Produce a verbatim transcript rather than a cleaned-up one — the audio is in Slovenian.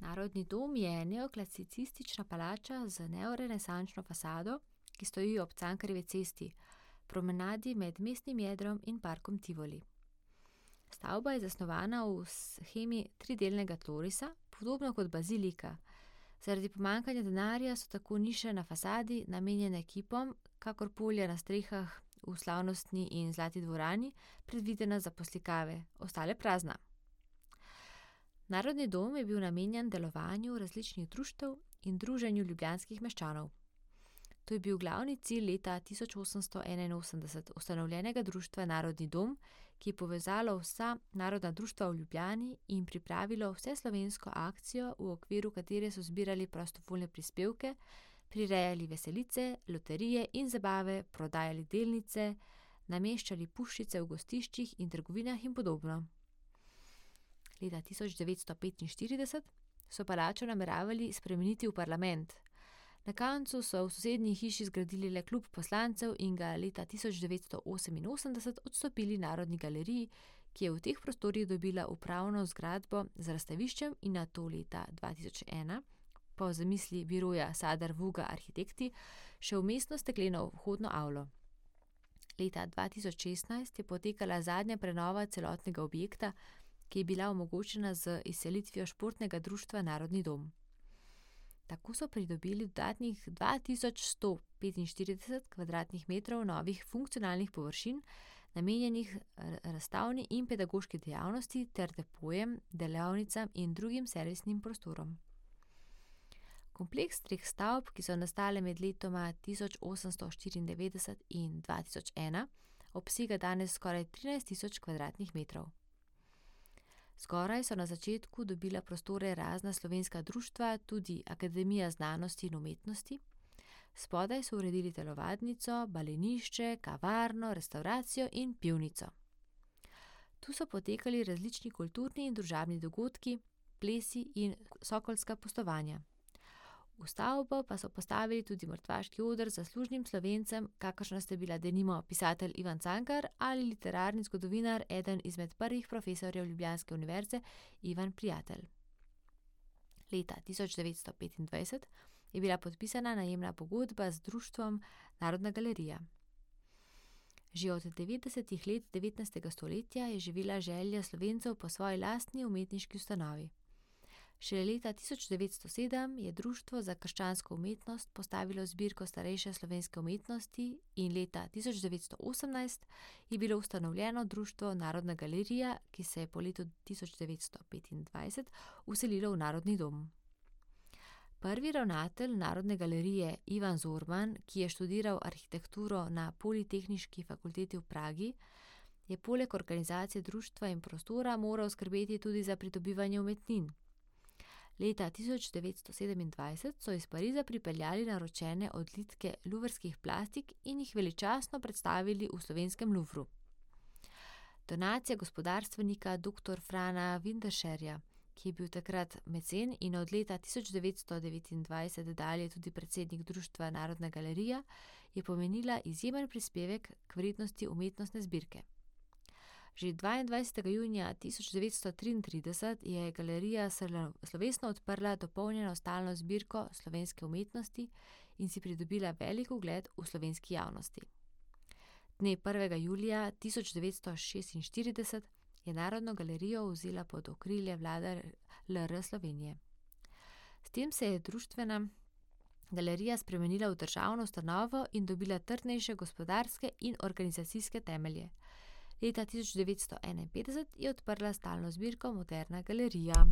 Narodni dom je neoklasicistična palača z neorenesančno fasado, ki stoji ob Cankarjevi cesti, promenadi med mestnim jedrom in parkom Tivoli. Stavba je zasnovana v shemi tridelnega tlorisa, podobno kot bazilika. Zaradi pomanjkanja denarja so tako niše na fasadi namenjene kipom, kakor polja na strehah v Slavnostni in Zlati dvorani, predvidena za poslikave, ostale prazna. Narodni dom je bil namenjen delovanju različnih društev in druženju ljubljanskih meščanov. To je bil glavni cilj leta tisoč osemsto enainosemdeset ustanovljenega društva Narodni dom, ki je povezalo vsa narodna društva v Ljubljani in pripravilo vseslovensko akcijo, v okviru katere so zbirali prostovoljne prispevke, prirejali veselice, loterije in zabave, prodajali delnice, nameščali puščice v gostiščih in trgovinah in podobno. Leta tisoč devetsto petinštirideset so palačo nameravali spremeniti v parlament. Na koncu so v sosednji hiši zgradili le klub poslancev in ga leta tisoč devetsto oseminosemdeset odstopili Narodni galeriji, ki je v teh prostorih dobila upravno zgradbo z razstaviščem in nato leta dva tisoč ena, po zamisli biroja Sadar Vuga Arhitekti, še vmesno stekleno vhodno avlo. Leta dva tisoč šestnajst je potekala zadnja prenova celotnega objekta, ki je bila omogočena z izselitvijo športnega društva Narodni dom. Tako so pridobili dodatnih dva tisoč sto petinštirideset kvadratnih metrov novih funkcionalnih površin, namenjenih razstavni in pedagoški dejavnosti ter depojem, delavnicam in drugim servisnim prostorom. Kompleks treh stavb, ki so nastale med letoma tisoč osemsto štiriindevetdeset in dva tisoč ena, obsega danes skoraj trinajst tisoč kvadratnih metrov. Zgoraj so na začetku dobila prostore razna slovenska društva, tudi Akademija znanosti in umetnosti. Spodaj so uredili telovadnico, balenišče, kavarno, restavracijo in pivnico. Tu so potekali različni kulturni in družabni dogodki, plesi in sokolska pustovanja. V stavbo pa so postavili tudi mrtvaški oder zaslužnim Slovencem, kakršna sta bila denimo pisatelj Ivan Cankar ali literarni zgodovinar, eden izmed prvih profesorjev ljubljanske univerze, Ivan Prijatelj. Leta tisoč devetsto petindvajset je bila podpisana najemna pogodba z društvom Narodna galerija. Že od devetdesetih let devetnajstega stoletja je živela želja Slovencev po svoji lastni umetniški ustanovi. Šele leta tisoč devetsto sedem je Društvo za krščansko umetnost postavilo zbirko starejše slovenske umetnosti in leta tisoč devetsto osemnajst je bilo ustanovljeno Društvo Narodna galerija, ki se je po letu tisoč devetsto petindvajset vselilo v Narodni dom. Prvi ravnatelj Narodne galerije Ivan Zorman, ki je študiral arhitekturo na Politehniški fakulteti v Pragi, je poleg organizacije društva in prostora moral skrbeti tudi za pridobivanje umetnin. Leta tisoč devetsto sedemindvajset so iz Pariza pripeljali naročene odlitke luvrskih plastik in jih veličastno predstavili v slovenskem Louvru. Donacija gospodarstvenika doktor Frana Winterscherja, ki je bil takrat mecen in od leta tisoč devetsto devetindvajset dalje tudi predsednik Društva Narodna galerija, je pomenila izjemen prispevek k vrednosti umetnostne zbirke. Že dvaindvajsetega junija tisoč devetsto triintrideset je galerija slovesno odprla dopolnjeno stalno zbirko slovenske umetnosti in si pridobila velik ugled v slovenski javnosti. Dne prvega julija tisoč devetsto šestinštirideset je Narodno galerijo vzela pod okrilje vlada L R Slovenije. S tem se je društvena galerija spremenila v državno ustanovo in dobila trdnejše gospodarske in organizacijske temelje. Leta tisoč devetsto enainpetdeset je odprla stalno zbirko Moderna galerija.